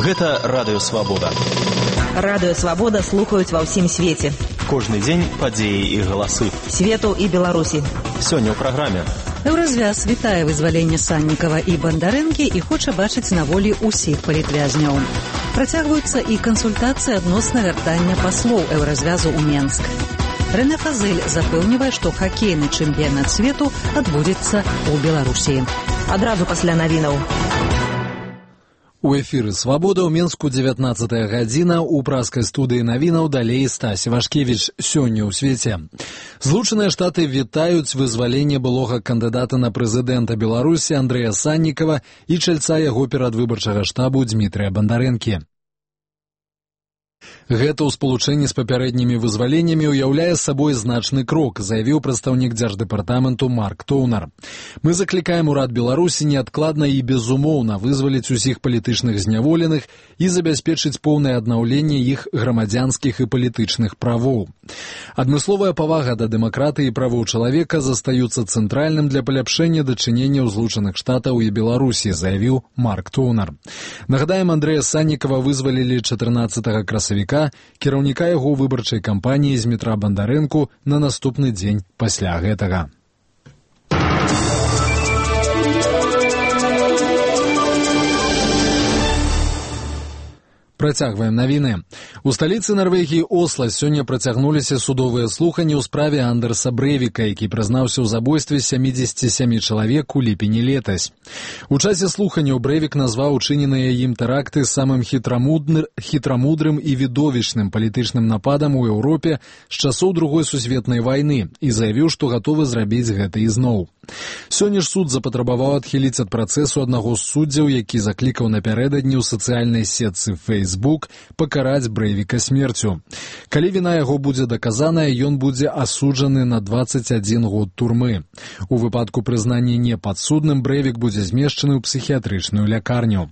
Гэта Радыё Свабода. Радыё Свабода слухаюць ва ўсім свеце. Кожны дзень падзеі і галасы. Свету і Беларусі. Сёння ў праграме. Еўразвяз вітае вызваленне Саннікава і Бандарэнкі і хоча бачыць на волі ўсіх палітвязняў. Працягваюцца і кансультацыі адносна вяртання паслоў Еўразвязу ў Менск. Рэнэ Фазэль запэўнівае, што хакейны чэмпіянат свету адбудзецца ў Беларусі. Адразу пасля навінаў. У эфіры «Свабода» ў Менску 19 гадзіна, у праскай студыі навінаў далей Стась Вашкевіч. Сёння ў свеце. Злучаныя Штаты вітаюць вызваленне былога кандыдата на прэзідэнта Беларусі Андрэя Саннікава і чальца яго перадвыбарчага штабу Дмітрыя Бандарэнкі. Гэта ў спалучэнні з папярэднімі вызваленнямі ўяўляе сабой значны крок, заявіў прадстаўнік дзярждэпартаменту Марк Тоўнар. Мы заклікаем урад Беларусі неадкладна і безумоўна вызваліць усіх палітычных зняволеных і забяспечыць поўнае аднаўленне іх грамадзянскіх і палітычных правоў. Адмысловая павага да дэмакратыі і правоў чалавека застаюцца цэнтральным для паляпшэння дачыненняў Злучаных Штатаў і Беларусі, заявіў Марк Тоўнар. Нагадаем, Андрэя Саннікава вызвалілі 14 красавіка, кіраўніка яго выбарчай кампаніі Дмітра Бандарэнку на наступны дзень пасля гэтага. Працягваем навіны. У сталіцы Нарвегіі Осла сёння працягнуліся судовыя слуханні ў справе Андерса Брэвіка, які прызнаўся ў забойстве 77 чалавек у ліпені летась. У часе слуханняў Брэвік назваў учыненыя ім тэракты самым хітрамудрым і відовішчным палітычным нападам у Еўропе з часоў Другой сусветнай вайны і заявіў, што гатовы зрабіць гэта ізноў. Сёння ж суд запатрабаваў адхіліць ад працэсу аднаго з суддзяў, які заклікаў напярэдадні ў сацыяльнай сетцы Facebook пакараць Брэвіка смерцю. Калі віна яго будзе даказаная, ён будзе асуджаны на 21 год турмы. У выпадку прызнання непадсудным Брэвік будзе змешчаны ў псіхіятрычную лякарню.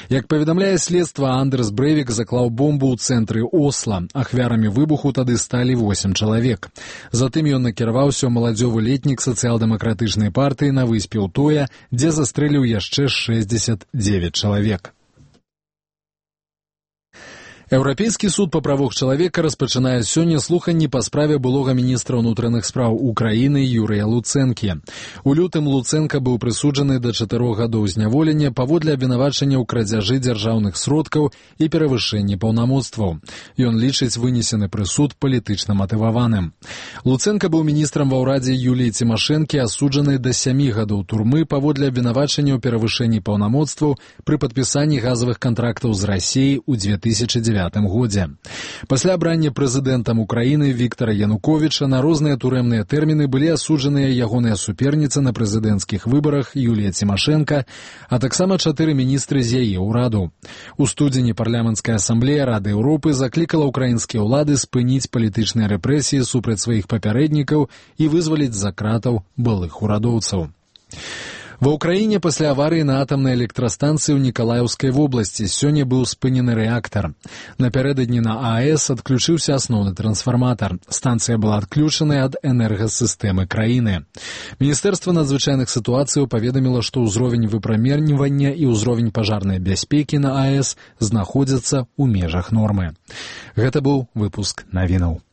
Як паведамляе следства, Андерс Брэвік заклаў бомбу ў цэнтры Осла. Ахвярамі выбуху тады сталі 8 чалавек. Затым ён накіраваўся ў маладзёвы летнік сацыял-дэмакратычнай партыі на выспе Утоя, дзе застрэліў яшчэ 69 чалавек. Еўрапейскі суд па правах чалавека распачынае сёння слуханні па справе былога міністра ўнутраных спраў Украіны Юрыя Луцэнкі. У лютым Луцэнка быў прысуджаны да 4 гадоў зняволення паводле абвінавачання ў крадзяжы дзяржаўных сродкаў і перавышэнні паўнамоцтваў. Ён лічыць вынесены прысуд палітычна матываваным. Луцэнка быў міністрам ва ўрадзе Юліі Цімашэнкі, асуджаны да 7 гадоў турмы паводле абвінавачання ў перавышэнні паўнамоцтваў пры падпісанні газавых кантрактаў з Расіяй у 2009 годзе. Пасля абрання прэзідэнтам Украіны Віктара Януковіча на розныя турэмныя тэрміны былі асуджаныя ягоныя суперніцы на прэзідэнцкіх выбарах Юлія Цімашэнка, а таксама 4 міністры з яе ўраду. У студзені парламенцкая асамблея Рады Еўропы заклікала ўкраінскія ўлады спыніць палітычныя рэпрэсіі супраць сваіх папярэднікаў і вызваліць з-за кратаў былых урадоўцаў. Ва ўкраіне пасля аварыі на атамнай электрастанцыі ў Нікалаеўскай вобласці сёння быў спынены рэактар. Напярэдадні на АЭС адключыўся асноўны трансфарматар. Станцыя была адключаная ад энергасістэмы краіны. Міністэрства надзвычайных сітуацыяў паведаміла, што ўзровень выпраменьвання і ўзровень пажарнай бяспекі на АЭС знаходзяцца ў межах нормы. Гэта быў выпуск навінаў.